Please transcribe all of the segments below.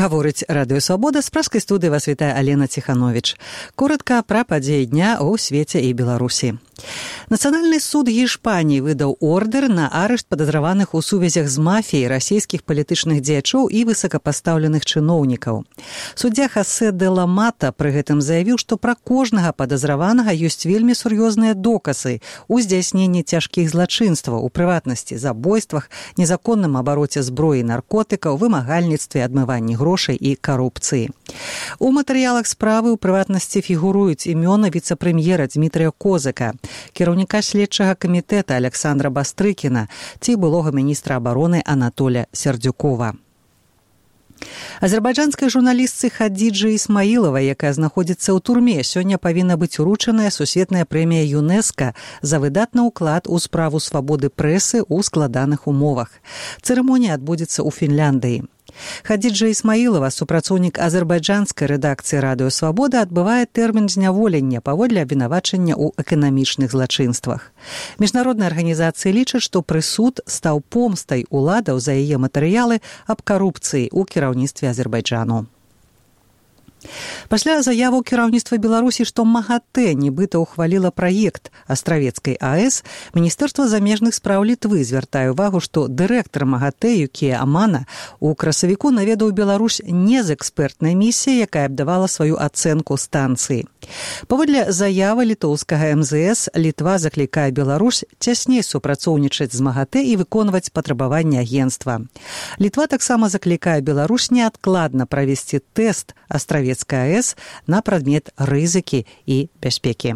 Гаворыць Радыё Свабода, з праскай студыі вас вітае Алена Ціхановіч. Коротка пра падзеі дня ў свеце і Беларусі. Нацыянальны суд Гішпаніі выдаў ордэр на арышт падазраваных у сувязях з мафіяй расійскіх палітычных дзеячоў і высокапастаўленых чыноўнікаў. Суддзя Хосе де ла Мата пры гэтым заявіў, што пра кожнага падазраванага ёсць вельмі сур'ёзныя доказы ў здзяйсненні цяжкіх злачынстваў, у прыватнасці забойствах, незаконным абароце зброі і наркотыкаў, вымагальніцтве, адмыванні грошай і карупцыі. У матэрыялах справы ў прыватнасці фігуруюць імёны віцэ-прэм'ера Дмітрыя Козыка, кіраўніка следчага камітэта Александра Бастрыкіна ці былога міністра абароны Анатоля Сердюкова. Азербайджанскай журналістцы Хадзіджы Ісмаілавай, якая знаходзіцца ў турме, сёння павінна быць уручаная сусветная прэмія ЮНЕСКО за выдатны ўклад у справу свабоды прэсы ў складаных умовах. Цырымонія адбудзецца ў Фінляндыі. Хадзіджа Ісмаілава, супрацоўнік азербайджанскай рэдакцыі Радыё Свабода, адбывае тэрмін зняволення паводле абвінавачання ў эканамічных злачынствах. Міжнародныя арганізацыі лічаць, што прысуд стаў помстай уладаў за яе матэрыялы аб карупцыі ў кіраўніцтве Азербайджану. Пасля заяваў кіраўніцтва Беларусі, што МАГАТЭ нібыта ухваліла праект Астравецкай АЭС, Міністэрства замежных спраў Літвы звяртае ўвагу, што дырэктар МАГАТЭ Юкія Амана у красавіку наведаў Беларусь не з экспертнай місіяй, якая б давала сваю ацэнку станцыі. Паводле заявы літоўскага МЗС, Літва заклікае Беларусь цясней супрацоўнічаць з МАГАТЭ і выконваць патрабаванні агенцтва. Літва таксама заклікае Беларусь неадкладна правесці тэст Астравецкай АЭС на прадмет рызыкі і бяспекі.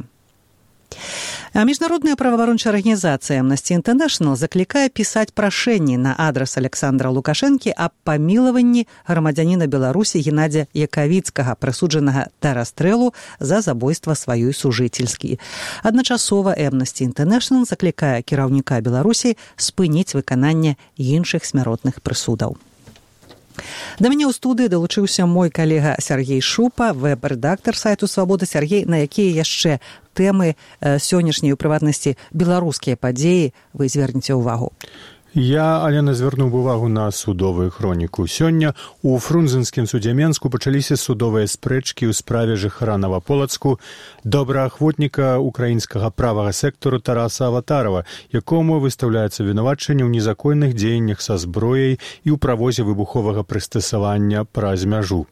А міжнародная праваабарончая арганізацыя Amnesty International заклікае пісаць прашэнні на адрас Александра Лукашэнкі аб памілаванні грамадзяніна Беларусі Геннадзя Якавіцкага, прысуджанага да расстрэлу за забойства сваёй сужыцельскі. Адначасова Amnesty International заклікае кіраўніка Беларусі спыніць выкананне іншых смяротных прысудаў. Да мяне ў студыі далучыўся мой калега Сергей Шупа, вэб-рэдактар сайту Свабода. Сергей, на якія яшчэ тэмы сённяшняй, у прыватнасці беларускія падзеі, вы звернеце ўвагу? Я, Алена, звярнуў увагу на судовую хроніку. Сёння у Фрунзенскім судзе Менску пачаліся судовыя спрэчкі ў справе жыхара Новаполацку, добраахвотніка украінскага правага сектару Тараса Аватарова, якому выстаўляецца вінавачанне ў незаконных дзеяннях са зброяй і ў правозе выбуховага прыстасавання праз мяжу.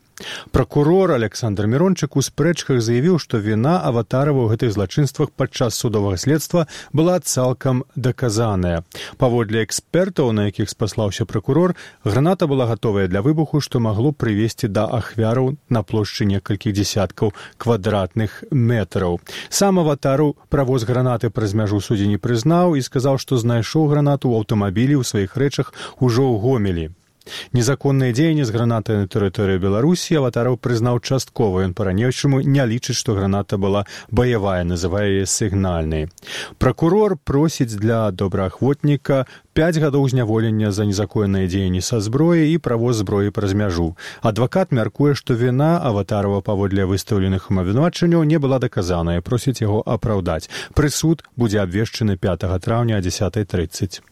Пракурор Александр Мірончык у спрэчках заявіў, што віна Аватарова ў гэтых злачынствах падчас судовага следства была цалкам даказаная. Паводле экспертаў, на якіх спаслаўся пракурор, граната была гатовая для выбуху, што магло прывесці да ахвяраў на плошчы некалькіх дзесяткаў квадратных метраў. Сам Аватару правоз гранаты праз мяжу суддзі не прызнаў і сказаў, што знайшоў гранату ў аўтамабілі ў сваіх рэчах ужо ў Гомелі. Незаконныя дзеянні з гранатай на тэрыторыі Беларусі Аватараў прызнаў часткова. Ён па-ранейшаму не лічыць, што граната была баявая, называе яе сігнальнай. Пракурор просіць для добраахвотніка 5 гадоў зняволення за незаконныя дзеянні са зброяй і правоз зброі праз мяжу. Адвакат мяркуе, што віна Аватарова паводле выстаўленых абвінавачанняў не была даказаная, просіць яго апраўдаць. Прысуд будзе абвешчаны 5 траўня о 10:30.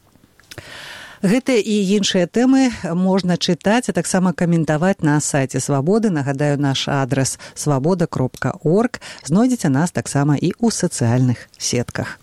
Гэтыя і іншыя тэмы можна чытаць, а таксама каментаваць на сайце Свабоды. Нагадаю, наш адрас свабода.орг. Знойдзеце нас таксама і ў сацыяльных сетках.